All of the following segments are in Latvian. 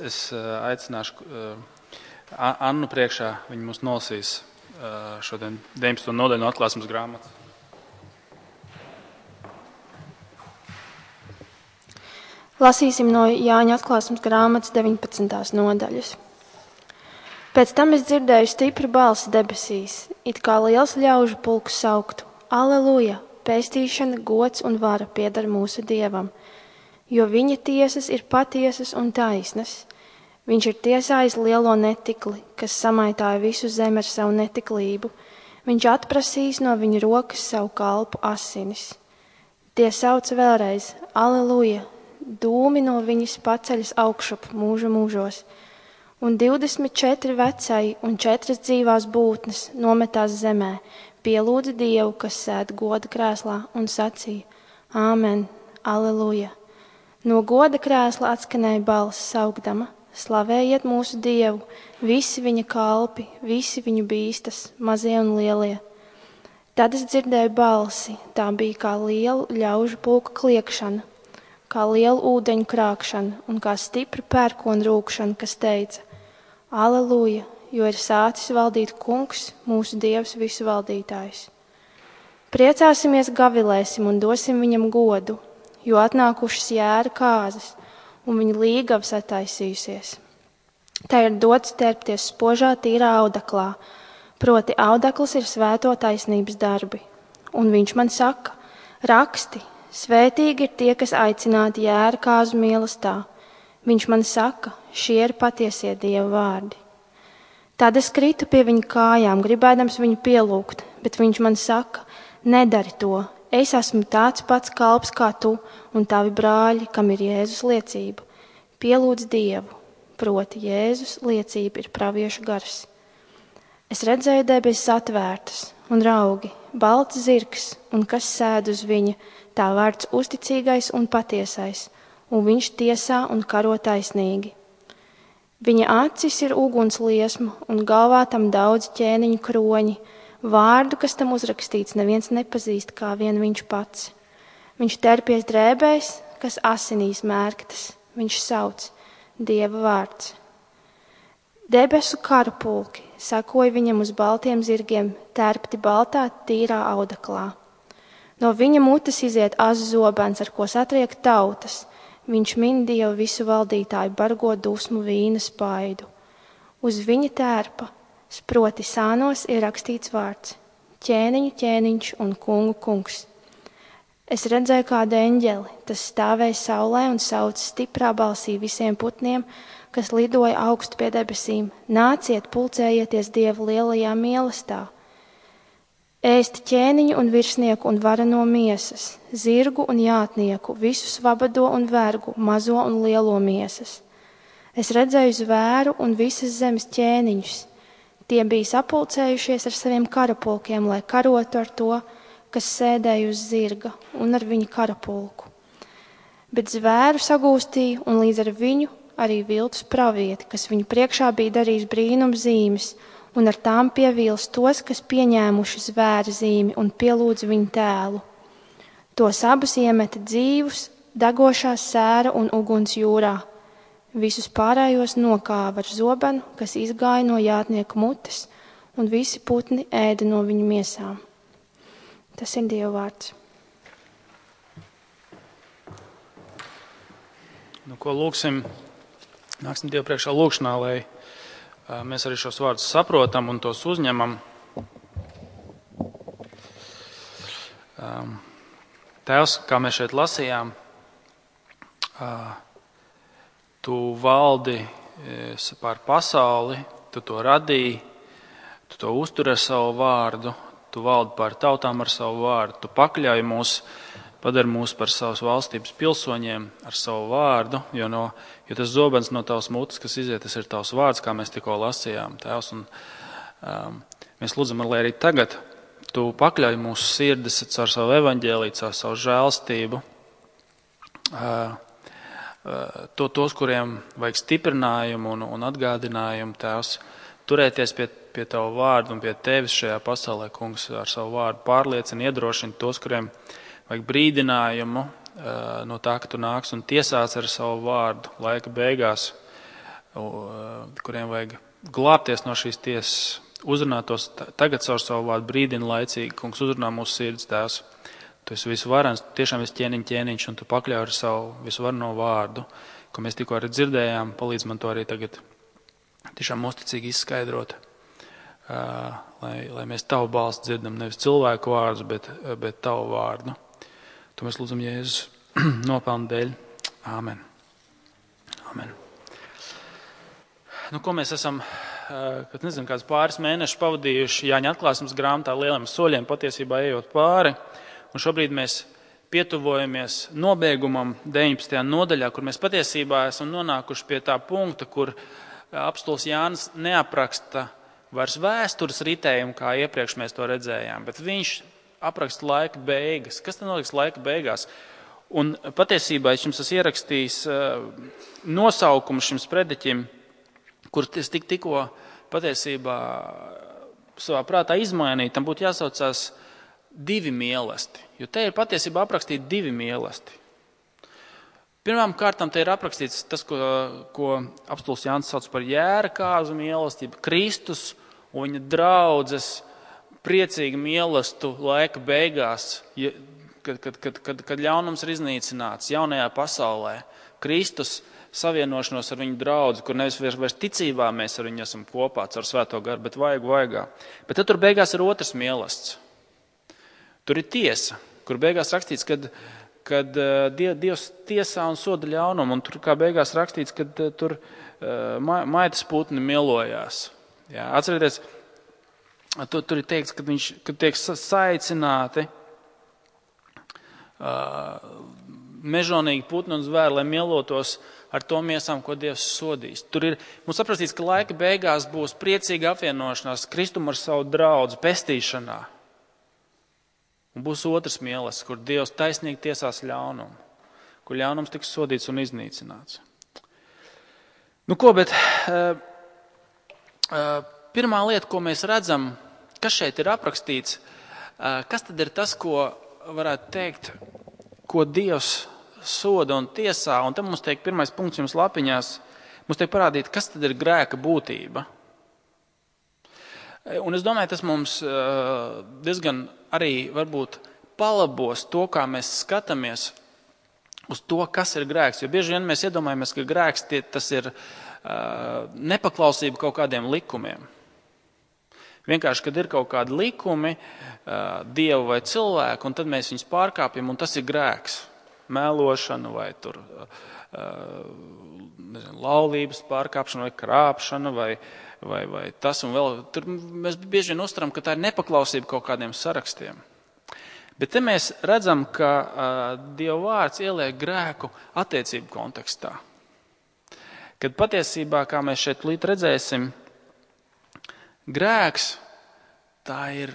Es aicināšu Annu priekšā, viņa mums nolasīs šodien 19. nodaļu no Atklāsmes grāmatas. Lasīsim no Jāņa Atklāsmes grāmatas 19. nodaļas. Pēc tam es dzirdēju stipru balsi debesīs, it kā liels ļaužu pulks sauktu: Aleluja! Pestīšana, gods un vara pieder mūsu Dievam, jo viņa tiesas ir patiesas un taisnas. Viņš ir tiesājis lielo netikli, kas samaitāja visu zemi ar savu netiklību. Viņš atprasīs no viņa rokas savu kalpu asinis. Tie sauc vēlreiz: Aleluja! Dūmi no viņas paceļas augšup mūžu mūžos. Un 24 vecai un 4 dzīvās būtnes nometās zemē, pielūdza Dievu, kas sēd goda krēslā, un sacīja: Āmen, aleluja! No goda krēsla atskanēja balss saukdama: Slavējiet mūsu Dievu, visi viņa kalpi, visi viņu bīstas, mazie un lielie. Tad es dzirdēju balsi, tā bija kā liela ļaužu pulka kliekšana, kā liela ūdeņu krākšana un kā stipra pērkona rūkšana, kas teica: Aleluja! Jo ir sācis valdīt kungs, mūsu Dievs visu valdītājs. Priecāsimies, gavilēsim un dosim viņam godu, jo atnākušas jēra kāzas, un viņa līgavas attaisījusies. Tā ir dots terpties spožā tīrā audaklā, proti audakls ir svēto taisnības darbi. Un viņš man saka: raksti, svētīgi ir tie, kas aicināti jēra kāzu mīlestā. Viņš man saka: šie ir patiesie Dieva vārdi. Tad es kritu pie viņa kājām, gribēdams viņu pielūgt, bet viņš man saka: nedari to, es esmu tāds pats kalps kā tu un tavi brāļi, kam ir Jēzus liecība. Pielūdz Dievu, proti Jēzus liecība ir praviešu gars. Es redzēju debesis atvērtas un raugi, balts zirgs, un kas sēd uz viņa, tā vārds uzticīgais un patiesais, un viņš tiesā un karo taisnīgi. Viņa acis ir uguns liesma, un galvā tam daudz ķēniņu kroņi. Vārdu, kas tam uzrakstīts, neviens nepazīst kā vien viņš pats. Viņš terpies drēbēs, kas asinīs mērktas. Viņš sauc: Dieva vārds. Debesu karapulki sekoja viņam uz baltiem zirgiem, tērpti baltā, tīrā audaklā. No viņa mutes iziet azs zobens, ar ko satriek tautas. Viņš min Dievu visu valdītāju bargo dusmu vīna spaidu. Uz viņa tērpa, sproti sānos, ir rakstīts vārds: ķēniņu ķēniņš un kungu kungs. Es redzēju kādu eņģeli, tas stāvēja saulē un sauca stiprā balsī visiem putniem, kas lidoja augstu pie debesīm: nāciet, pulcējieties Dieva lielajā mīlestā. Ēst ķēniņu un virsnieku un vareno miesas, zirgu un jātnieku, visu svabado un vergu, mazo un lielo miesas. Es redzēju zvēru un visas zemes ķēniņus. Tie bija sapulcējušies ar saviem karapulkiem, lai karotu ar to, kas sēdēja uz zirga, un ar viņu karapulku. Bet zvēru sagūstīja, un līdz ar viņu arī viltus pravieti, kas viņu priekšā bija darījis brīnum zīmes, un ar tām pievīls tos, kas pieņēmuši zvēra zīmi un pielūdz viņu tēlu. Tos abus iemeta dzīvus, degošā sēra un uguns jūrā. Visus pārējos nokāva ar zobenu, kas izgāja no jātnieka mutes, un visi putni ēda no viņu miesām. Tas ir Dieva vārds. Nu, ko lūksim? Nāksim Dievu priekšā lūkšanā, lai mēs arī šos vārdus saprotam un tos uzņemam. Tēvs, kā mēs šeit lasījām, tu valdi pār pasauli, tu to radīji, tu to uztur ar savu vārdu, tu valdi pār tautām ar savu vārdu, tu pakļauj mūs, padari mūs par savas valstības pilsoņiem ar savu vārdu, jo tas zobens no tavas mutes, kas iziet, tas ir tavs vārds, kā mēs tikko lasījām, Tēvs. Un, mēs lūdzam, lai arī tagad tu pakļauj mūsu sirdis caur savu evaņģēliju, caur savu žēlstību, tos, kuriem vajag stiprinājumu un atgādinājumu, Tēvs, turēties pie tavu vārdu un pie tevis šajā pasaulē, kungs, ar savu vārdu pārliecina, iedrošina tos, kuriem vajag brīdinājumu no tā, ka tu nāks un tiesāts ar savu vārdu laika beigās. kuriem vajag glābties no šīs tiesas, uzrunātos tagad caur savu vārdu brīdina laicīgi. Kungs, uzrunā mūsu sirds, Tēvs. Tu esi visvarens, tiešām esi ķēniņš, un tu pakļauj ar savu visvarno vārdu, ko mēs tikko arī dzirdējām. Palīdz man to arī tagad tiešām uzticīgi izskaidrot, lai mēs tavu balsi dzirdam, nevis cilvēku vārdus, bet tavu vārdu. To mēs lūdzam Jēzus nopelnu dēļ. Āmen. Āmen. Ko mēs esam, kāds pāris mēnešus pavadījuši Jāņa atklāsmes grāmatā lieliem soļiem, patiesībā ejot pāri. Un šobrīd mēs pietuvojamies nobeigumam 19. nodaļā, kur mēs patiesībā esam nonākuši pie tā punkta, kur apostols Jānis neapraksta vairs vēstures ritējumu, kā iepriekš mēs to redzējām, bet viņš apraksta laika beigas. Kas tad notiks laika beigās? Un patiesībā es jums esmu ierakstījis nosaukumu šim sprediķim, kur es tikko patiesībā savā prātā izmainīju. Tam būtu jāsaucās 2 mīlesti, jo te ir patiesībā aprakstīti 2 mīlesti. Pirmām kārtām te ir aprakstīts tas, ko apostols Jānis sauc par jērakāzu mīlestību, Kristus un viņa draudzes priecīgu mīlestību laika beigās, kad ļaunums ir iznīcināts jaunajā pasaulē. Kristus savienošanos ar viņu draudzi, kur nevis vairs ticībā mēs ar viņu esam kopā caur svēto garu, bet vaigā. Bet tad tur beigās ir otrs mīlestība. Tur ir tiesa, kur beigās rakstīts, kad Dievs tiesā un soda ļaunumu, un tur kā beigās rakstīts, kad tur maitas putni mielojās. Jā, atcerieties, tur ir teikts, kad tiek saicināti mežonīgi putni un zvēri, lai mielotos ar to miesām, ko Dievs sodīs. Tur ir mums aprakstīts, ka laika beigās būs priecīga apvienošanās Kristum ar savu draudzi pestīšanā. Un būs otrs mīlestības, kur Dievs taisnīgi tiesās ļaunumu, kur ļaunums tiks sodīts un iznīcināts. Bet pirmā lieta, ko mēs redzam, kas šeit ir aprakstīts, kas tad ir tas, ko varētu teikt, ko Dievs soda un tiesā, un te mums tiek pirmais punkts jums lapiņās, mums tiek parādīt, kas tad ir grēka būtība. Un es domāju, tas mums diezgan arī varbūt palabos to, kā mēs skatāmies uz to, kas ir grēks. Jo bieži vien mēs iedomājamies, ka grēks tas ir nepaklausība kaut kādiem likumiem. Vienkārši, kad ir kaut kādi likumi, Dievu vai cilvēku, un tad mēs viņus pārkāpjam, un tas ir grēks. Mēlošana vai tur laulības pārkāpšana vai krāpšana vai tas un vēl. Tur mēs bieži vien uztveram, ka tā ir nepaklausība kaut kādiem sarakstiem. Bet te mēs redzam, ka Dieva vārds ieliek grēku attiecību kontekstā. Kad patiesībā, kā mēs šeit līdz redzēsim, grēks tā ir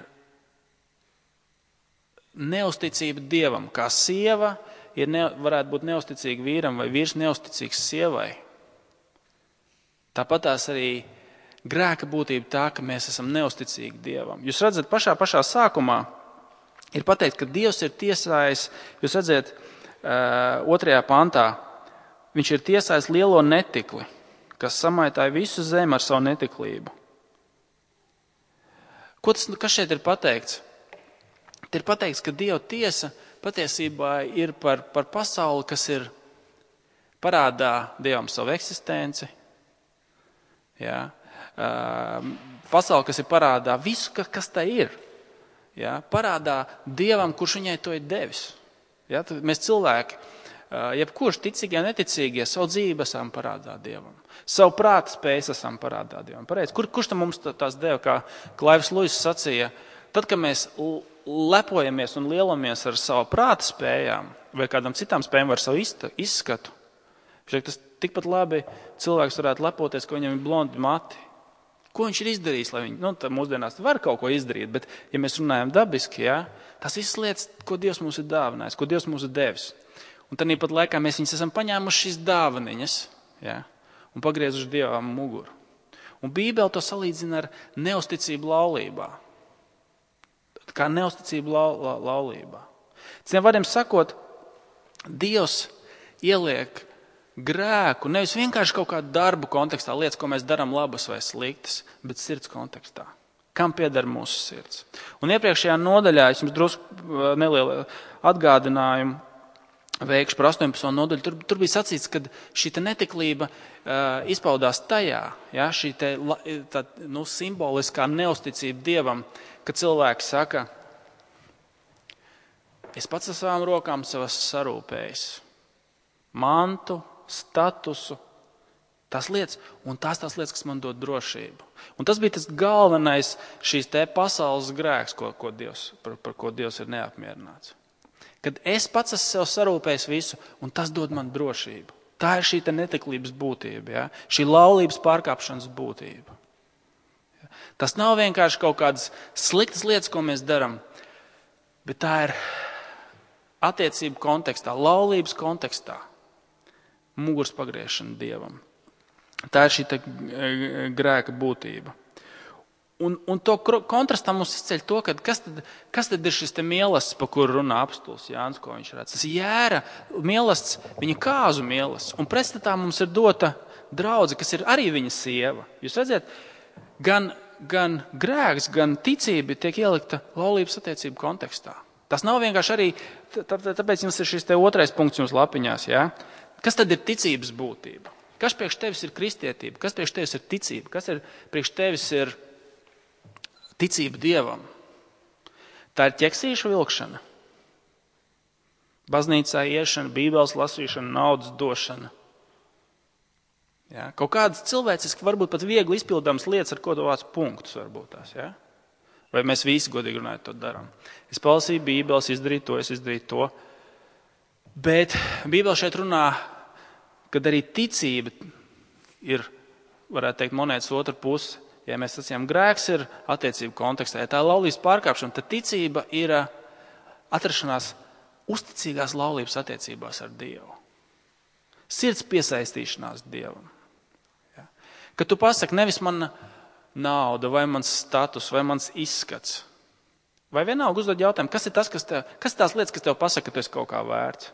neusticība Dievam, kā sieva varētu būt neusticīga vīram vai vīrs neusticīgs sievai. Tāpat tās arī grēka būtība tā, ka mēs esam neusticīgi Dievam. Jūs redzat, pašā sākumā ir pateikt, ka Dievs ir tiesājis, jūs redzat, 2. pantā, viņš ir tiesājis lielo netikli, kas samaitāja visu zemi ar savu netiklību. Kas šeit ir pateikts? Te ir pateikts, ka Dieva tiesa patiesībā ir par pasauli, kas ir parādā Dievam savu eksistenci. Jā. Pasauli, kas ir parādā visu, kas tā ir. Jā. Parādā Dievam, kurš viņai to ir devis. Jā. Mēs cilvēki, jebkurš ticīgie, neticīgie, savu dzīvi esam parādā Dievam. Savu prāta spējas esam parādā Dievam. Pareiz. Kurš tam mums tās deva, kā Klaivs Luis sacīja, tad, kad mēs lepojamies un lielamies ar savu prāta spējām vai kādam citām spējām ar savu izskatu, tas tikpat labi cilvēks varētu lepoties, ka viņam ir blondi mati. Ko viņš ir izdarījis, lai viņi, mūsdienās var kaut ko izdarīt, bet, ja mēs runājam dabiski, tas visas lietas, ko Dievs mums ir dāvinājis, ko Dievs mums ir devis. Un tad pat laikā mēs viņus esam paņēmuši šīs dāvaniņas, un pagriezuši Dievam muguru. Un Bībele to salīdzina ar neusticību laulībā. Kā neusticību laulībā. Citiem vārdiem sakot, Dievs ieliek grēku nevis vienkārši kaut kādu darbu kontekstā, lietas, ko mēs darām labas vai sliktas, bet sirds kontekstā. Kam pieder mūsu sirds? Un iepriekšējā nodaļā es jums drusku nelielu atgādinājumu veikšu par 18. nodaļu. Tur bija sacīts, ka šī netiklība izpaudās tajā, ja, šī simboliskā neusticība Dievam, ka cilvēki saka, es pats ar savām rokām savas sarūpējis mantu, statusu, tās lietas, un tās lietas, kas man dod drošību. Un tas bija tas galvenais šīs pasaules grēks, par ko Dievs ir neapmierināts. Kad es pats esmu sev sarūpējis visu, un tas dod man drošību. Tā ir šī netiklības būtība, ja? Šī laulības pārkāpšanas būtība. Tas nav vienkārši kaut kādas sliktas lietas, ko mēs darām, bet tā ir attiecību kontekstā, laulības kontekstā, muguras pagriešana Dievam. Tā ir šī grēka būtība. Un to kontrastā mums izceļ to, ka kas tad ir šis mīlestības, pa kuru runā apstulis Jānis, ko viņš redz. Tas jēra mīlestības, viņa kāzu mīlestības. Un pretstatā mums ir dota draudze, kas ir arī viņa sieva. Jūs redzat, gan grēks, gan ticība tiek ielikta laulības attiecību kontekstā. Tas nav vienkārši arī, tāpēc jums ir šis otrais punkts jums lapiņās. Ja? Kas tad ir ticības būtība? Kas priekš tevis ir kristietība? Kas priekš tevis ir ticība? Kas ir priekš tevis ir ticība Dievam? Tā ir ķeksīšu vilkšana, baznīcā iešana, bībeles lasīšana, naudas došana. Ja? Kaut kādas cilvēciski, varbūt pat viegli izpildāmas lietas, ar ko tu vāc punktus varbūt tās. Ja? Vai mēs visi godīgi runājot to darām? Es palasīju bībeles, izdarīju to, es izdarīju to. Bet bībele šeit runā, kad arī ticība ir, varētu teikt, monētas otra puse. Ja mēs sacījām, grēks ir attiecību kontekstā, ja tā ir laulības pārkāpšana, tad ticība ir atrašanās uzticīgās laulības attiecībās ar Dievu. Sirds piesaistīšanās Dievam. Ja? Kad tu pasaki, nevis mana nauda, vai mans status, vai mans izskats, vai vienalga uzdod jautājumu, kas ir tās lietas, kas tev pasaka, ka tu esi kaut kā vērts,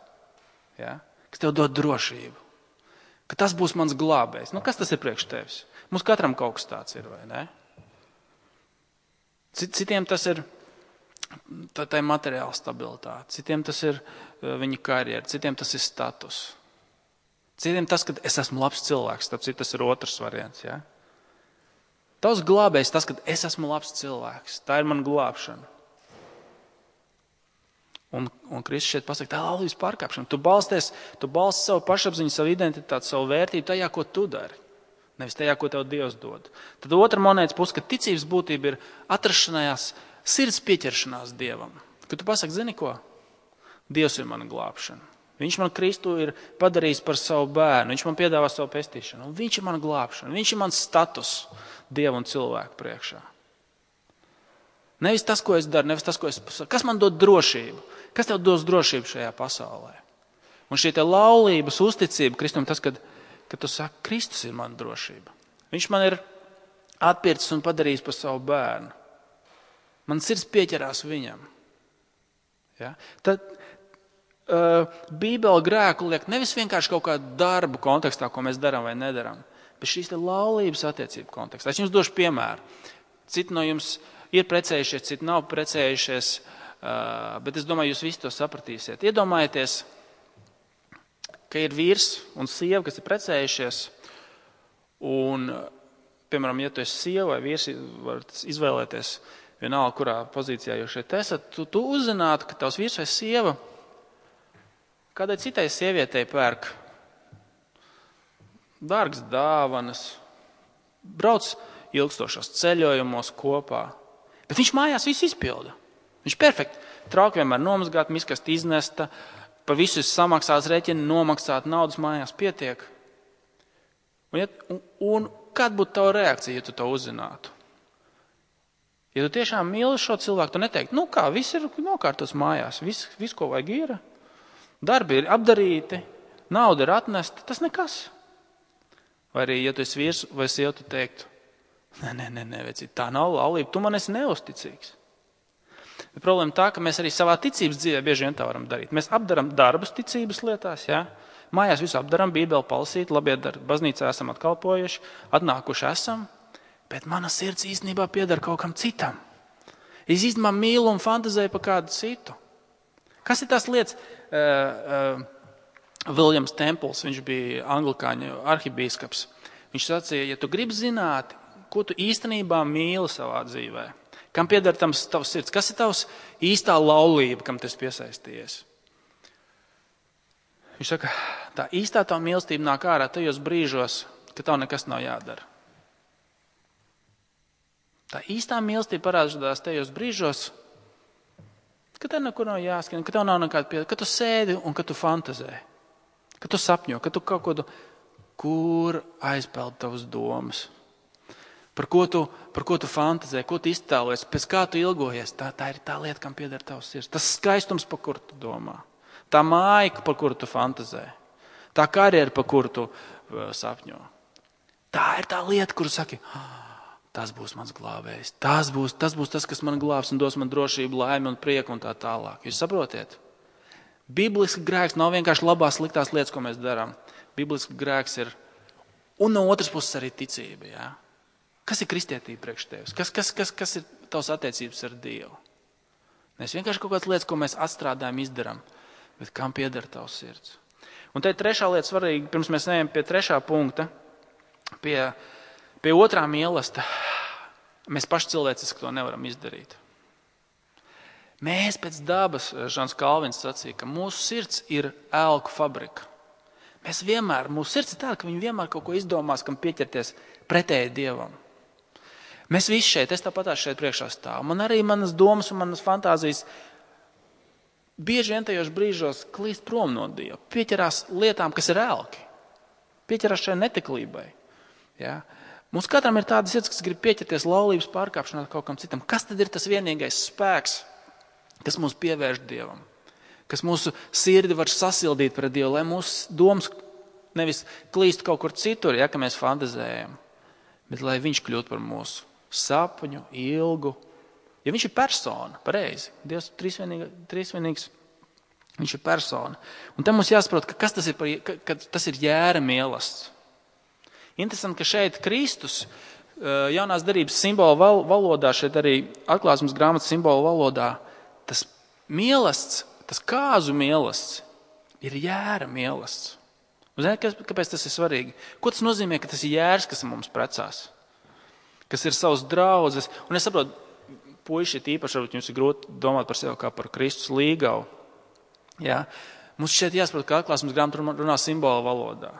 ja? Kas tev dod drošību, ka tas būs mans glābējs. Kas tas ir priekš tevis? Mums katram kaut kas tāds ir, vai ne? Citiem tas ir tā materiāla stabilitāte, citiem tas ir viņa karjera, citiem tas ir status. Citiem tas, ka es esmu labs cilvēks, tāpēc tas ir otrs variants. Ja? Tavs glābējs tas, ka es esmu labs cilvēks, tā ir mana glābšana. Un Kristus šeit pasaka, tā ir laulības pārkāpšana. Tu balsti savu pašapziņu, savu identitāti, savu vērtību tajā, ko tu dari. Nevis tajā, ko tev Dievs dod. Tad otra monētas puse, ka ticības būtība ir atrašanās, sirds pieķeršanās Dievam. Kad tu pasaki, zini ko? Dievs ir mana glābšana. Viņš man Kristu ir padarījis par savu bērnu. Viņš man piedāvā savu pestīšanu. Un viņš ir mana glābšana. Viņš ir mans status Dievu un cilvēku priekšā. Nevis tas, ko es daru, nevis tas, ko es pasaku. Kas man dod drošību? Kas tev dos drošību šajā pasaulē? Un šī laulības uzticība Kristum tas, kad tu saki, Kristus ir mana drošība. Viņš man ir atpircis un padarījis par savu bērnu. Man sirds pieķerās viņam. Ja? Tad Bībele grēku liek nevis vienkārši kaut kādu darbu kontekstā, ko mēs darām vai nedarām, bet šīs laulības attiecību kontekstā. Es jums došu piemēru. Citi no jums ir precējušies, citi nav precējušies, bet es domāju, jūs visi to sapratīsiet. Iedomājieties, ka ir vīrs un sieva, kas ir precējušies, un, piemēram, ja tu esi sieva vai vīrs, var izvēlēties vienalga, kurā pozīcijā jūs šeit esat, tu uzzinātu, ka tavs vīrs vai sieva kādai citai sievietei pērk dārgas dāvanas, brauc ilgstošos ceļojumos kopā, bet viņš mājās visu izpilda. Viņš perfekti. Trauki vienmēr nomazgāt, miskast iznesta, par visu samaksās rēķini, nomaksāt, naudas mājās pietiek. Un kāda būtu tava reakcija, ja tu to uzzinātu? Ja tu tiešām mīli šo cilvēku, tu neteiktu, viss ir nokārtos mājās, viss, ko vajag ir, darbi ir apdarīti, nauda ir atnesta, tas nekas. Vai arī, ja tu esi vīrs vai sieva, tu teiktu, nē, vecīt, tā nav laulība, tu man esi neusticīgs. Bet problēma tā, ka mēs arī savā ticības dzīvē bieži vien tā varam darīt. Mēs apdaram darbus ticības lietās, ja? Mājās visu apdaram, bībeli palasīt, labiedari, baznīcā esam atkalpojuši, atnākuši esam, bet mana sirds īstenībā pieder kaut kam citam. Es īstenībā mīlu un fantazēju par kādu citu. Kas ir tās lietas? Viljams Templs, viņš bija anglikāņu arhibīskaps. Viņš sacīja, ja tu gribi zināt, ko tu īstenībā mīli savā dzīvē, kam pieder tavs sirds, kas ir tavs īstā laulība, kam tas piesaistījies? Viņš saka, tā īstā tā mīlestība nāk ārā tajos brīžos, ka tev nekas nav jādara. Tā īstā mīlestība parādās tajos brīžos, ka tev nekur nav jāskrien, ka tev nav nekāda piedara, ka tu sēdi un ka tu fantazē, ka tu sapņo, ka tu kaut ko, kur aizpeld tavas domas, par ko tu fantazē, ko tu iztēlojies, pēc kā tu ilgojies. Tā ir tā lieta, kam pieder tavs sirds. Tas skaistums, par kuru tu domā. Tā māja, par kuru tu fantazē. Tā karjera, par kuru tu sapņo. Tā ir tā lieta, kuru saki, tas būs mans glābējs. Tas būs tas, kas man glābs un dos man drošību, laimi un prieku un tā tālāk. Jūs saprotiet? Biblisks grēks nav vienkārši labās, sliktās lietas, ko mēs darām. Biblisks grēks ir, un no otras puses arī ticība. Jā? Kas ir kristietība priekš tevis? Kas ir tavs attiecības ar Dievu? Mēs vienkārši kaut kādas lietas, ko mēs atstrādājam, izdarām, bet kam pieder tavs sirds? Un te ir trešā lieta svarīga, pirms mēs ejam pie trešā punkta, pie otrā mīlesta. Mēs paši cilvēciski to nevaram izdarīt. Mēs pēc dabas, Žans Kalvins sacīja, ka mūsu sirds ir elku fabrika. Mūsu sirds ir tāda, ka viņi vienmēr kaut ko izdomās, kam pieķerties pretēji Dievam. Mēs visi šeit, es tāpatās šeit priekšā stāvu. Man arī manas domas un manas fantāzijas bieži vien tajos brīžos klīst prom no Dieva. Pieķerās lietām, kas ir elki. Pieķerās šai netiklībai. Ja? Mums katram ir tādas lietas, kas grib pieķerties laulības pārkāpšanā kaut kam citam. Kas tad ir tas vienīgais spēks, kas mūs pievērš Dievam? Kas mūsu sirdi var sasildīt pret Dievu, lai mūsu domas nevis klīst kaut kur citur, ja, ka mēs fantazējam, bet lai viņš kļūtu par mūsu sapņu, ilgu. Ja viņš ir persona, pareizi, Dievs trīsvienīgs, viņš ir persona. Un te mums jāsaprot, ka kas tas ir, ka tas ir jēra mīlestība. Interesanti, ka šeit Kristus jaunās derības simbolu valodā, šeit arī atklāsmes grāmatas simbolu valodā, tas mīlestība, tas kāzu mīlestība ir jēra mīlestība. Ziniet, kāpēc tas ir svarīgi? Ko tas nozīmē, ka tas ir jērs, kas mums precās? Kas ir savs draudzes? Un es saprotu, puiši īpaši, varbūt jums ir grūti domāt par sevi kā par Kristus līgavu. Ja? Mums šeit jāsaprot, ka atklāsmes grāmata runā simbolu valodā.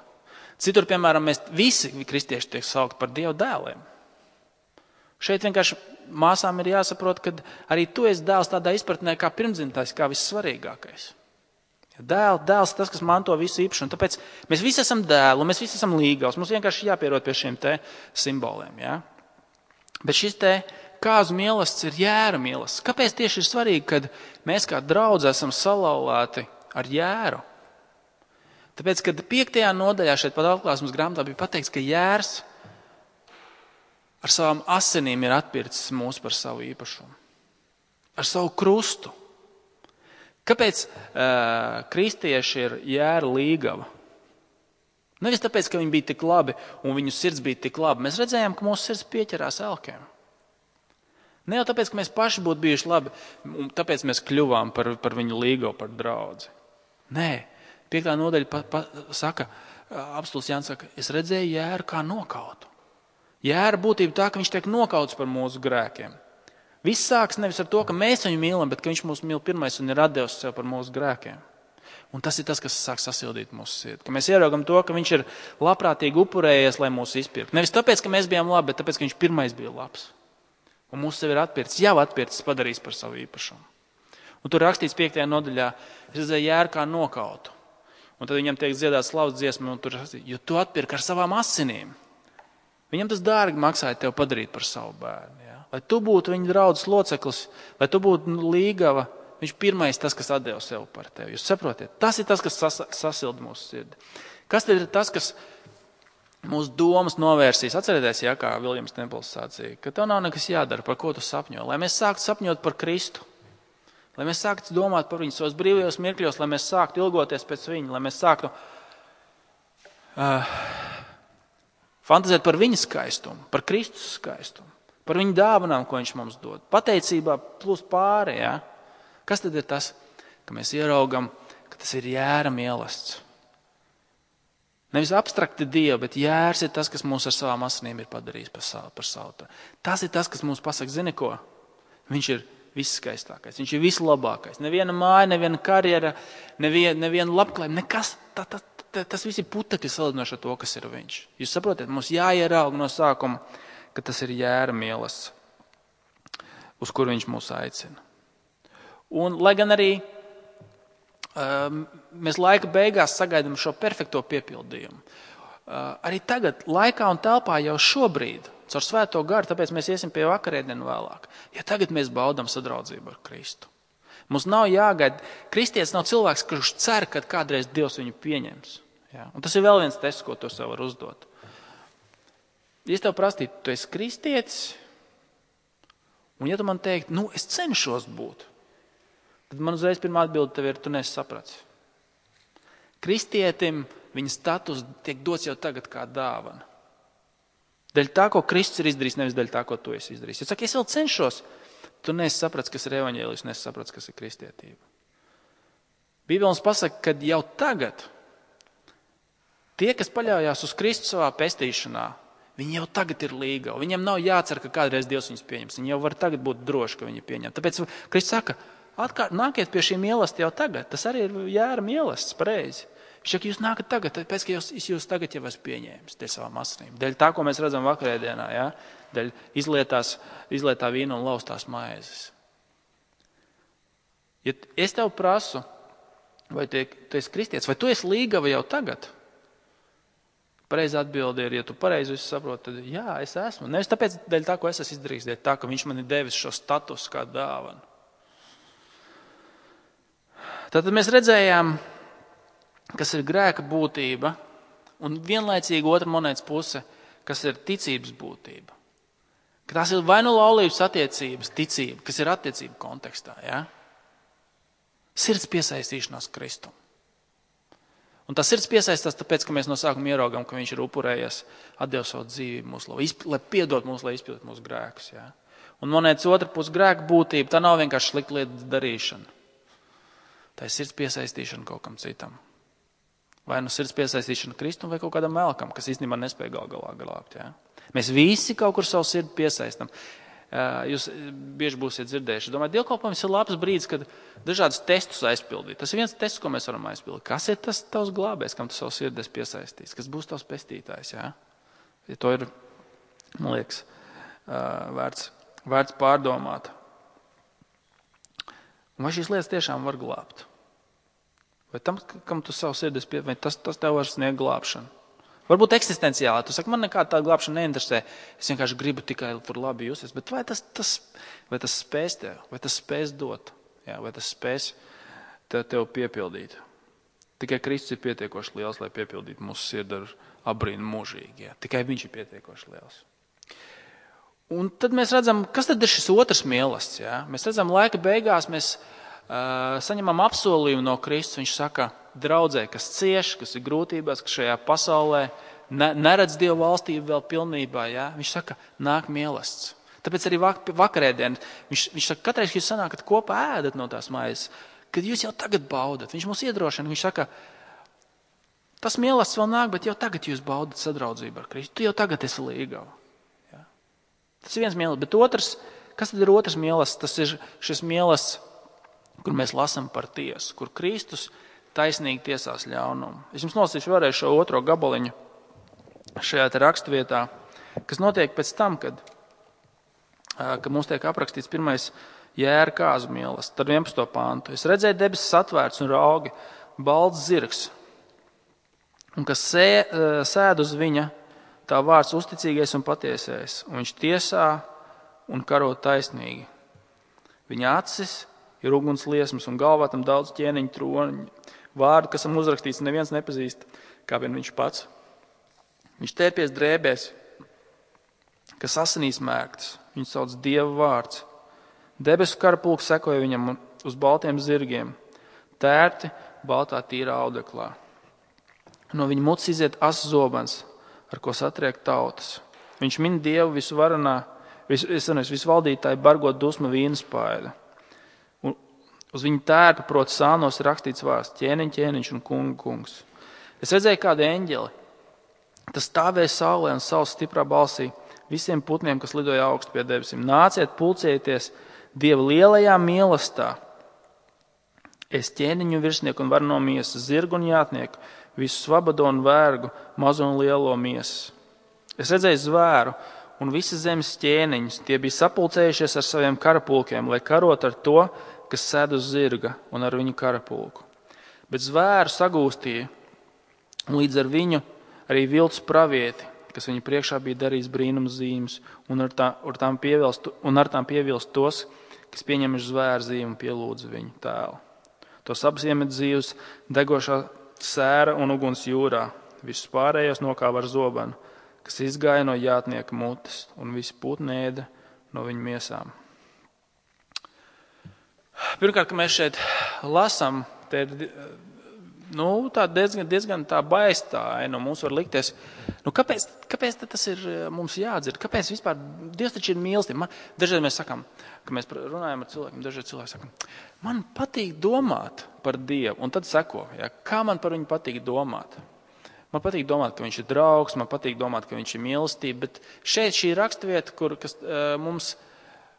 Citur, piemēram, mēs visi kristieši tiek saukti par Dieva dēliem. Šeit vienkārši māsām ir jāsaprot, ka arī tu esi dēls tādā izpratnē kā pirmdzimtais, kā vissvarīgākais. Dēls tas, kas manto visu īpašumu. Tāpēc mēs visi esam dēli, mēs visi esam līgavs. Mums vienkārši jāpierod pie šiem te simboliem. Ja? Bet šis te kāzu mīlestība ir jēra mīlestība. Kāpēc tieši ir svarīgi, kad mēs kā draudzi esam salauzti ar jēru? Tāpēc, kad 5. nodaļā šeit pat atklāsmes grāmatā bija pateikts, ka jērs ar savām asinīm ir atpircis mūs par savu īpašumu. Ar savu krustu. Kāpēc kristieši ir jēra līgava? Nevis tāpēc, ka viņi bija tik labi un viņu sirds bija tik labi. Mēs redzējām, ka mūsu sirds pieķerās elkiem. Ne jau tāpēc, ka mēs paši būtu bijuši labi, un tāpēc mēs kļuvām par viņu līgavu, par draudzi. Nē, 5. nodaļa saka, apostuls Jānis saka, es redzēju jēru kā nokautu. Jēra būtība tā, ka viņš tiek nokauts par mūsu grēkiem. Viss sāks nevis ar to, ka mēs viņu mīlam, bet ka viņš mūs mīl pirmais un ir atdevis sev par mūsu grēkiem. Un tas ir tas, kas sāk sasildīt mūsu sirdi. Ka mēs ieraugam to, ka viņš ir labprātīgi upurējies, lai mūs izpirktu. Nevis tāpēc, ka mēs bijām labi, bet tāpēc, ka viņš pirmais bija labs. Un mūsu sevi ir atpircis, padarījis par savu īpašumu. Un tur rakstīts 5. nodaļā, es redzēju jēru kā nokautu. Un tad viņam tiek dziedāts slavas dziesma, un tur rakstīts, jo tu atpirki ar savām asinīm. Viņam tas dārgi maksāja tev padarīt par savu bērnu. Ja? Lai tu būtu viņa draudzes loceklis, lai tu būtu līgava, viņš pirmais tas, kas atdeva sev par tevi. Jūs saprotiet? Tas ir tas, kas sasilda mūsu sirdi. Kas tad ir tas, kas mūsu domas novērsīs? Atcerieties, ja, kā Viljams Templs sacīja, ka tev nav nekas jādara, par ko tu sapņo. Lai mēs sāktu sapņot par Kristu. Lai mēs sāktu domāt par viņu savos brīvajos mirkļos, lai mēs sāktu ilgoties pēc viņa, lai mēs sāktu Fantazēt par viņa skaistumu, par Kristus skaistumu, par viņa dāvanām, ko viņš mums dod. Pateicībā plus pāri, ja? Kas tad ir tas, ka mēs ieraugam, ka tas ir jēra mīlestība? Nevis abstrakti Dievu, bet jērs ir tas, kas mūs ar savām asinīm ir padarījis par savu. Tas ir tas, kas mums pasaka, zini ko? Viņš ir visskaistākais, viņš ir vislabākais. Neviena māja, neviena karjera, neviena labklājība, nekas. Tas viss ir putekļi salīdzinoši ar to, kas ir viņš. Jūs saprotat, mums jāierauga no sākuma, ka tas ir jēra mīlestība, uz kuru viņš mūs aicina. Un, lai gan arī mēs laika beigās sagaidām šo perfekto piepildījumu, arī tagad, laikā un telpā jau šobrīd, caur Svēto garu, tāpēc mēs iesim pie vakarēdienu vēlāk, ja tagad mēs baudām sadraudzību ar Kristu. Mums nav jāgaida, kristietis nav cilvēks, kurš cer, ka kādreiz Dievs viņu pieņems. Ja? Un tas ir vēl viens tests, ko tu sev var uzdot. Ja es tev prastītu, tu esi kristietis, un ja tu man teiktu, es cenšos būt, tad man uzreiz pirmā atbilde tev ir, tu neesi sapratis. Kristietim viņa status tiek dots jau tagad kā dāvana. Dēļ tā, ko Kristus ir izdarījis, nevis dēļ tā, ko tu esi izdarījis. Ja saka, es vēl cenšos, tu neesi sapratis, kas ir evaņģēlijs, neesi sapratis, kas ir kristietība. Bībele mums pasaka, ka jau tagad tie, kas paļaujās uz Kristu savā pestīšanā, viņi jau tagad ir līgavi. Viņiem nav jācer, ka kādreiz Dievs viņus pieņems. Viņi jau var tagad būt droši, ka viņi pieņem. Tāpēc Kristus saka, nākiet pie šī mīlestība jau tagad. Tas arī ir jēra mīlestība, pareizi. Viņš saka, jūs nākat tagad, tāpēc, ka jūs tagad jau esat pieņēmis dēļ savām asinīm. Dēļ tā, ko mēs redzam vakarēdienā, ja? Dēļ izlietā vīna un laustās maizes. Ja es tev prasu, vai tu esi kristietis, vai tu esi līgava jau tagad? Pareizi atbildi ir, ja tu pareizi visu saproti, tad jā, es esmu. Nevis tāpēc, dēļ tā, ko es esmu izdarījis, dēļ tā, ka viņš man ir devis šo statusu kā dāvanu. Tātad mēs redzējām, kas ir grēka būtība, un vienlaicīgi otra monētas puse, kas ir ticības būtība. Ka tās ir vai nu laulības attiecības, ticība, kas ir attiecība kontekstā, ja? Sirds piesaistīšanās Kristum. Un tas sirds piesaistās tāpēc, ka mēs no sākuma ieraugam, ka viņš ir upurējies, atdevis savu dzīvību mūsu, lai piedot mūs, lai izpildot mūsu grēkus. Ja? Un monētas otra puse grēka būtība, tā nav vienkārši slikta lietas darīšana. Tā ir sirds piesaistīšana kaut kam citam. Vai nu sirds piesaistīšana Kristum vai kaut kādam melkam, kas īstenībā nespēja galā glābt. Ja? Mēs visi kaut kur savu sirdi piesaistam. Jūs bieži būsiet dzirdējuši. Domāju, dievkalpojums ir labs brīdis, kad dažādus testus aizpildīt. Tas ir viens tests, ko mēs varam aizpildīt. Kas ir tas tavs glābējs, kam tu savu sirdi esi piesaistījis? Kas būs tavs pestītājs? Ja? Ja to ir, man liekas, vērts pārdomāt. Un vai šīs lietas tiešām var glābt? Vai tam, kam tu savu sirdi esi piesaistījis, vai tas tev var sniegt glābšanu? Varbūt eksistenciāli. Tu saki, man nekā tāda glābšana neinteresē. Es vienkārši gribu tikai tur labi justies. Bet vai tas spēs tev? Vai tas spēs dot? Jā, vai tas spēs tev piepildīt? Tikai Kristus ir pietiekoši liels, lai piepildītu mūsu sirdi ar abrīnu mūžīgi. Jā. Tikai viņš ir pietiekoši liels. Un tad mēs redzam, kas tad ir šis otrs mīlestības. Jā? Mēs redzam, laika beigās mēs saņemam apsolījumu no Kristus. Viņš saka, draudzē, kas cieš, kas ir grūtībās, kas šajā pasaulē neredz Dievu valstību vēl pilnībā. Ja? Viņš saka, nāk mīlestības. Tāpēc arī vakarēdien viņš saka, katreiz, kad jūs sanākat kopā ēdat no tās maizes, kad jūs jau tagad baudat. Viņš mūs iedrošina. Viņš saka, tas mīlestības vēl nāk, bet jau tagad jūs baudat sadraudzību ar Kristu. Tu jau tagad esi līgava. Ja? Tas ir viens mīlestības. Bet otrs, kas tad ir otrs mīlestības? Tas ir šis mīlestības, kur mēs lasam par tiesu, kur Kristus taisnīgi tiesās ļaunumu. Es jums nolasīšu vēlreiz šo otro gabaliņu šajā te rakstvietā, kas notiek pēc tam, kad mums tiek aprakstīts pirmais jēra kāzu mīlestība, tad 11. pāntu. Es redzēju debesis atvērts un raugi, balts zirgs, un kas sēd uz viņa, tā vārds uzticīgais un patiesais, un viņš tiesā un karo taisnīgi. Viņa acis ir uguns liesmas un galvā tam daudz ķēniņu troniņu. Vārdu, kas tam uzrakstīts, neviens nepazīst, kā vien viņš pats. Viņš tērpies drēbēs, kas asinīs mērgtas. Viņš sauc Dieva vārds. Debesu karapulks sekoja viņam uz baltiem zirgiem, tērti baltā tīrā audeklā. No viņa mutes iziet asas zobens, ar ko satriek tautas. Viņš min Dievu visvaldītāju bargot dusmu vīnaspaidu. Un uz viņa tērpa, proti sānos, ir rakstīts vārds ķēniņš un kungs. Es redzēju kādu eņģeli. Tas stāvēja saulē un savas stiprā balsī visiem putniem, kas lidoja augstu pie debesīm. Nāciet, pulcējieties Dieva lielajā mīlestā. Es ķēniņu virsnieku un varno miesas, zirgu un jātnieku, visu svabado un vērgu, mazo un lielo miesas. Es redzēju zvēru un visas zemes ķēniņus. Tie bija sapulcējušies ar saviem karapulkiem, lai karot ar to, kas sēd uz zirga un ar viņu karapulku. Bet zvēru sagūstīja, un līdz ar viņu arī viltus pravieti, kas viņa priekšā bija darījis brīnums zīmes, un ar tām pievilst tos, kas pieņemuši zvēru zīmi un pielūdza viņu tēlu. Tos abus iemet dzīvus degošā sēra un uguns jūrā. Visus pārējos nokāva ar zobenu, kas izgāja no jātnieka mutes, un visi putni ēda no viņa miesām. Pirmkārt, ka mēs šeit lasām, te ir tā diezgan tā baistāja. Mums var likties, kāpēc tas ir mums jādzird? Kāpēc vispār Dievs taču ir mīlestība? Dažreiz mēs sakām, ka mēs runājam ar cilvēkiem, dažreiz cilvēki saka, man patīk domāt par Dievu, un tad seko, kā man par viņu patīk domāt. Man patīk domāt, ka viņš ir draugs, man patīk domāt, ka viņš ir mīlestība, bet šeit šī raksturvieta, kas mums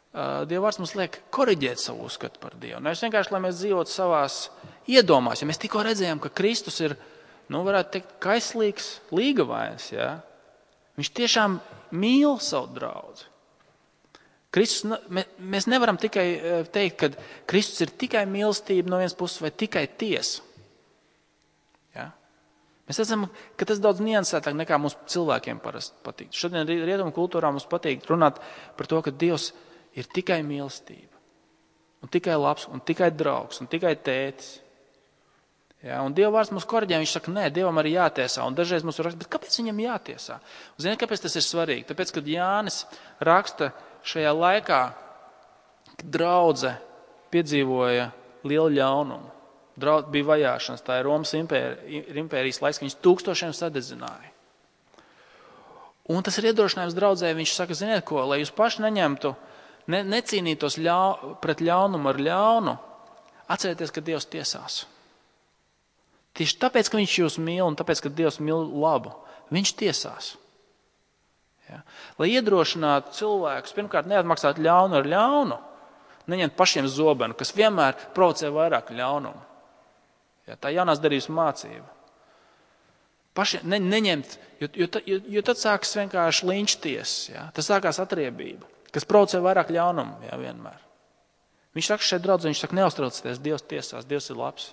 Dieva vārds mums liek koriģēt savu uzskatu par Dievu. Nevis vienkārši, lai mēs dzīvotu savās iedomās. Ja mēs tikko redzējām, ka Kristus ir, varētu teikt, kaislīgs līgavains, viņš tiešām mīl savu draudzi. Mēs nevaram tikai teikt, ka Kristus ir tikai mīlestība no vienas puses vai tikai tiesa. Mēs redzam, ka tas daudz niansētāk nekā mums cilvēkiem parasti patīk. Šodien rietumu kultūrā mums patīk runāt par to, ka Dievs ir tikai mīlestība, un tikai labs, un tikai draugs, un tikai tētis. Un Dieva vārds mums koriģē, viņš saka, nē, Dievam arī jātiesā, un dažreiz mums raksta, bet kāpēc viņam jātiesā? Un ziniet, kāpēc tas ir svarīgi? Tāpēc, kad Jānis raksta šajā laikā, kad draudze piedzīvoja lielu ļaunumu, bija vajāšanas, tā ir Romas impērijas laiks, ka viņas tūkstošiem sadedzināja. Un tas ir iedrošinājums draudzē, viņš saka, ziniet ko, lai jūs paši neņemtu, necīnītos pret ļaunumu ar ļaunu, atcerieties, ka Dievs tiesās. Tieši tāpēc, ka viņš jūs mīl un tāpēc, ka Dievs mīl labu, viņš tiesās. Lai iedrošinātu cilvēkus, pirmkārt, neatmaksāt ļaunu ar ļaunu, neņemt pašiem zobenu, kas vienmēr provocē vairāk ļaunumu. Tā jaunās darības mācība. Neņemt, jo tad sākas vienkārši linčties, tas sākās atriebība, kas provocē vairāk ļaunumu, vienmēr. Viņš saka šeit draudzē, viņš saka, neuztraucieties, Dievs tiesās, Dievs ir labs.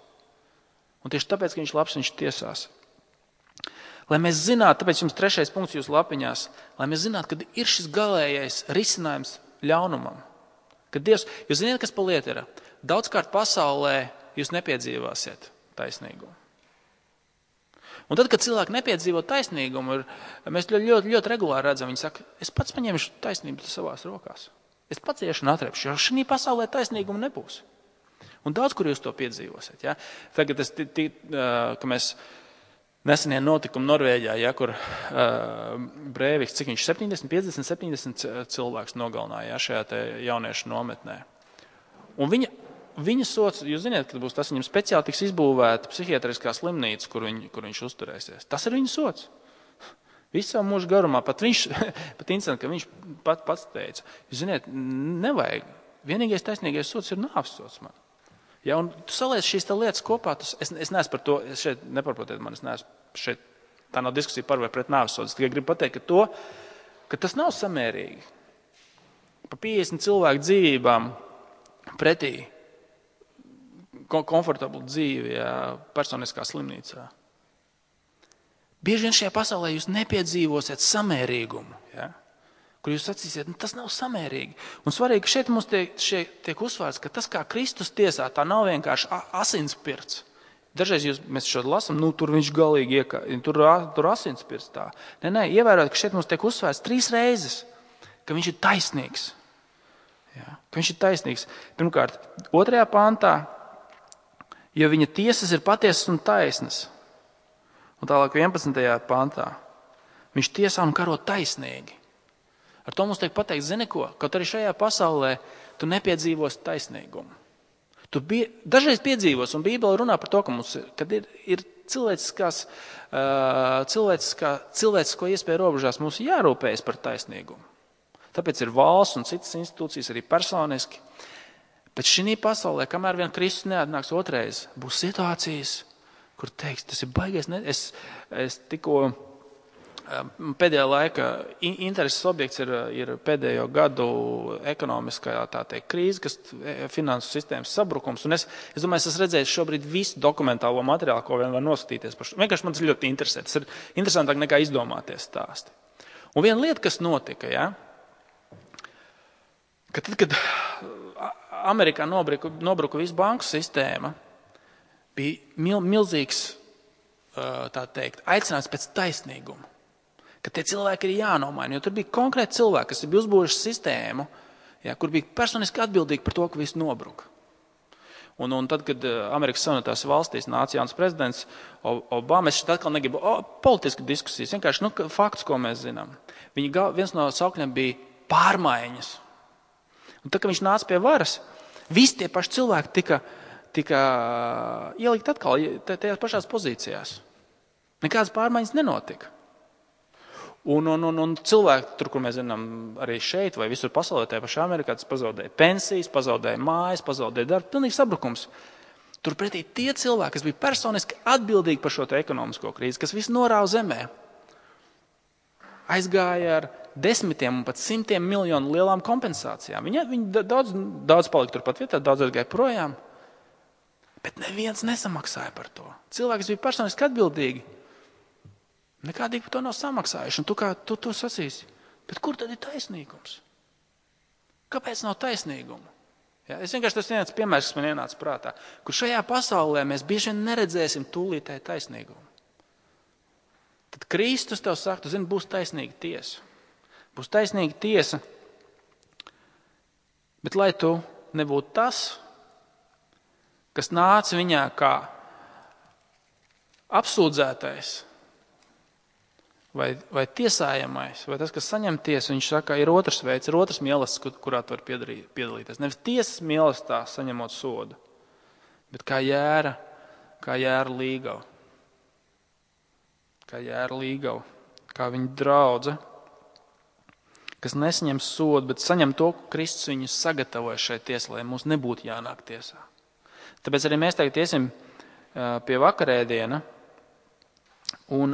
Un tieši tāpēc, ka viņš ir labs, viņš tiesās. Lai mēs zinātu, tāpēc jums 3. punkts jūsu lapiņās, lai mēs zinātu, kad ir šis galējais risinājums ļaunumam. Kad Dievs, jūs zināt, kas pa lieta ir? Daudzkārt pasaulē jūs nepiedzīvāsiet taisnīgumu. Un tad, kad cilvēki nepiedzīvo taisnīgumu, mēs ļoti, ļoti regulāri redzam, viņi saka, es pats paņemšu taisnību savās rokās. Es pats iešu un atrepšu, jo šī pasaulē taisnīguma nebūs. Un daudz, kur jūs to piedzīvosiet. Tagad ka mēs nesenie notikumi Norvēģijā, kur Breiviks, cik viņš 50 cilvēks nogalināja šajā te jauniešu nometnē. Un viņa sots, jūs zināt, ka būs tas viņam speciāli tiks izbūvēta psihiatriskā slimnīca, kur viņš uzturēsies. Tas ir viņa sots. Visu savu mūžu garumā, pat incidents, ka viņš pats teica, jūs zināt, nevajag. Vienīgais taisnīgais sots ir nāves sots man. Un tu saliec šīs lietas kopā, es neesmu par to, šeit neparprotiet man, es neesmu šeit, tā nav diskusija par vai pret nāves sodu. Es tikai gribu pateikt, ka tas nav samērīgi. Pa 50 cilvēku dzīvībām pretī komfortablu dzīvi personiskā slimnīcā. Bieži vien šajā pasaulē jūs nepiedzīvosiet samērīgumu, kur jūs sacīsiet, tas nav samērīgi. Un svarīgi, ka šeit mums tiek uzsvērts, ka tas, kā Kristus tiesā, tā nav vienkārši asinspirts. Dažreiz mēs šo lasam, tur viņš galīgi tur asinspirts tā. Nē, ievērot, ka šeit mums tiek uzsvērts 3 reizes, ka viņš ir taisnīgs. Ka viņš ir taisnīgs. Pirmkārt, 2. pantā, jo viņa tiesas ir patiesas un taisnas. Un tālāk 11. pantā. Viņš tiesā un karo taisnīgi. Ar to mums tiek pateikts, zini ko, kaut arī šajā pasaulē tu nepiedzīvosi taisnīgumu. Tu dažreiz piedzīvos, un Bībele runā par to, kad ir cilvēcisko iespēju robežās mums jārūpējas par taisnīgumu. Tāpēc ir valsts un citas institūcijas arī personiski. Bet šī pasaulē, kamēr vien Kristus neatnāks otrais, būs situācijas, kur teiks, tas ir baigais. Es tikko pēdējā laika intereses objekts ir pēdējo gadu ekonomiskā krīze, kas finansu sistēmas sabrukums. Un es domāju, es esmu redzējis šobrīd visu dokumentālo materiālu, ko vien var noskatīties. Vienkārši man tas ļoti interesē. Tas ir interesantāk nekā izdomāties stāsti. Un viena lieta, kas notika, ka tad, kad Amerikā nobruka visu banku sistēma, bija milzīgs, aicinājums pēc taisnīguma. Ka tie cilvēki ir jānomaina, jo tur bija konkrēti cilvēki, kas bija uzbūruši sistēmu, kur bija personiski atbildīgi par to, ka viss nobruka. Un tad, kad Amerikas Savienotās valstīs nāca jauns prezidents Obama, es šeit atkal negribu politisku diskusijas, vienkārši faktus, ko mēs zinām. Viens no saukļiem bija pārmaiņas. Un tad, kad viņš nāca pie varas, visi tie paši cilvēki tika ielikt atkal tajās pašās pozīcijās. Nekādas pārmaiņas nenotika. Un cilvēki, tur, kur mēs zinām, arī šeit vai visur pasaulē, tajā pašā Amerikā, tas pazaudēja pensijas, pazaudēja mājas, pazaudēja darbu, pilnīgs sabrukums. Turpretī tie cilvēki, kas bija personiski atbildīgi par šo ekonomisko krīzi, kas visu norāva zemē, aizgāja ar desmitiem un pat simtiem miljonu lielām kompensācijām. Viņi daudz palika turpat vietā, daudz aizgāja projām, bet neviens nesamaksāja par to. Cilvēki, kas bija personiski atbildīgi, nekādīgi par to nav samaksājuši. Un tu sacīsi, bet kur tad ir taisnīgums? Kāpēc nav taisnīguma? Es vienkārši tas viens piemērs, kas man ienāca prātā, kur šajā pasaulē mēs bieži vien neredzēsim tūlītēji taisnīgumu. Tad Kristus tev saka, tu zini, būs taisnīga tiesa. Būs taisnīga tiesa, bet lai tu nebūtu tas, kas nāca viņā kā apsūdzētais, vai tiesājamais, vai tas, kas saņem tiesu, viņš saka, ir otrs veids, ir otrs mīlestības, kurā tu vari piedalīties. Nevis tiesas mīlestībā saņemot sodu, bet kā jēra līgava. Kā jēra līgava, kā viņa draudze, kas nesaņem sodu, bet saņem to, ko Kristus viņu sagatavoja šai tiesai, lai mums nebūtu jānāk tiesā. Tāpēc arī mēs tagad iesim pie vakarēdiena, un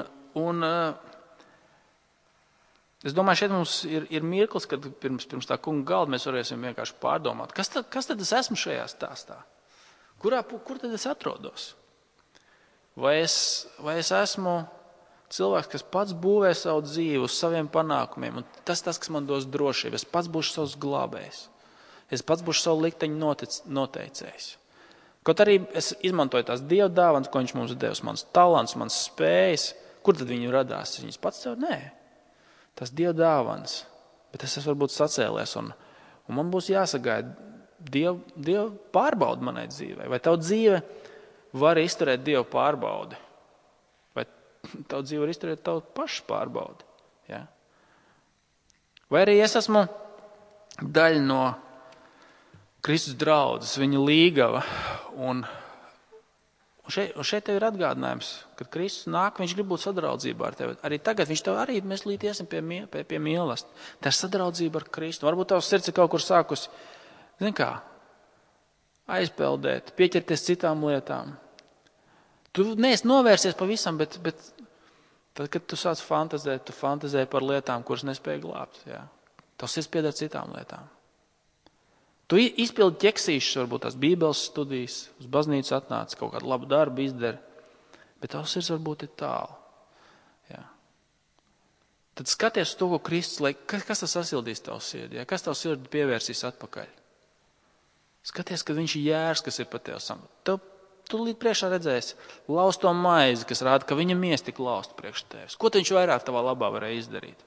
es domāju, šeit mums ir mirklis, kad pirms tā kunga galda mēs varēsim vienkārši pārdomāt, kas tad es esmu šajā stāstā? Kur tad es atrodos? Vai es esmu cilvēks, kas pats būvē savu dzīvi uz saviem panākumiem, un tas, kas man dos drošību, es pats būšu savs glābējs, es pats būšu savu likteņu noteicējs. Kaut arī es izmantoju tās Dieva dāvanas, ko viņš mums devis, mans talants, mans spējas, kur tad viņi radās? Viņas pats tev? Nē. Tas Dieva dāvanas, bet es esmu varbūt sacēlies, un man būs jāsagaida Dieva pārbaudi manai dzīvei. Vai tavu dzīve var izturēt Dieva pārbaudi? Vai tavu dzīve var izturēt tavu pašu pārbaudi? Ja? Vai arī es esmu daļa no Kristus draudzes, viņa līgava, un šeit tev ir atgādinājums, kad Kristus nāk, viņš grib būt sadraudzībā ar tevi. Arī tagad viņš tev arī, mēs līdz iesim pie mīlestības. Tā ir sadraudzība ar Kristu. Varbūt tavs sirds ir kaut kur sākusi, aizpeldēt, pieķerties citām lietām. Tu neesi novērsies pavisam, bet tad, kad tu sāc fantazēt, tu fantazē par lietām, kuras nespēj glābt. Jā. Tavs sirds pieder citām lietām. Tu izpildi ķeksīšus, varbūt tās bībeles studijas, uz baznīcu atnāc, kaut kādu labu darbu izdari, bet tavs sirds varbūt ir tālu. Jā. Tad skaties uz to, ko Kristus, kas tas sasildīs tavu sirdi, ja? Kas tavu sirdi pievērsīs atpakaļ. Skaties, ka viņš ir jērs, kas ir pa tev sam. Tu līdz priekšā redzēsi lausto maizi, kas rāda, ka viņa miesa tik lausta priekš tevis. Ko viņš vairāk tavā labā varēja izdarīt?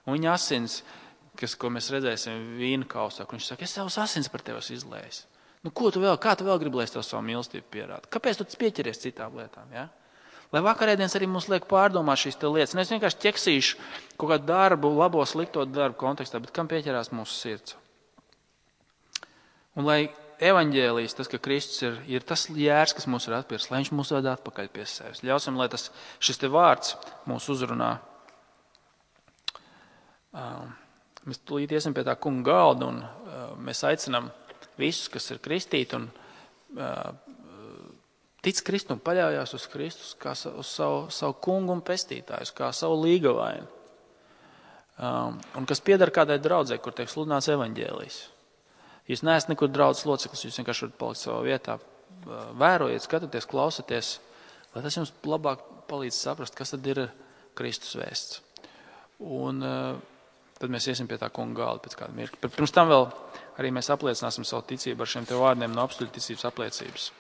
Un viņa asins, ko mēs redzēsim vīna kausā, kur viņš saka, es savus asins par tevi izlējis. Kā tu vēl gribi, lai es tev savu mīlestību pierādu? Kāpēc tu pieķeries citām lietām? Ja? Lai vakarēdienas arī mums liek pārdomāt šīs lietas. Es vienkārši ķeksīšu kaut kādu darbu, labo, slikto darbu kontekstā, bet kam pieķerās mūsu sirds. Un lai evaņģēlijs, tas, ka Kristus ir tas jērs, kas mūs ir atpircis, lai viņš mūs ved atpakaļ pie sevis. Ļausim, lai šis te vārds mūs uzrunā. Mēs tūlīt iesim pie tā kunga galda un mēs aicinām visus, kas ir kristīti un tic Kristum, paļaujās uz Kristus kā uz savu kungu un pestītāju, kā savu līgavainu. Un kas piedara kādai draudzē, kur tiek sludināts evaņģēlijs. Jūs neesat nekur draudzes loceklis, jūs vienkārši varat palikt savā vietā. Vērojiet, skatieties, klausieties, lai tas jums labāk palīdz saprast, kas tad ir Kristus vēsts. Un tad mēs iesim pie tā kunga galda pēc kāda mirkļa. Pirms tam vēl arī mēs apliecināsim savu ticību ar šiem te vārdiem no apstuļu ticības apliecības.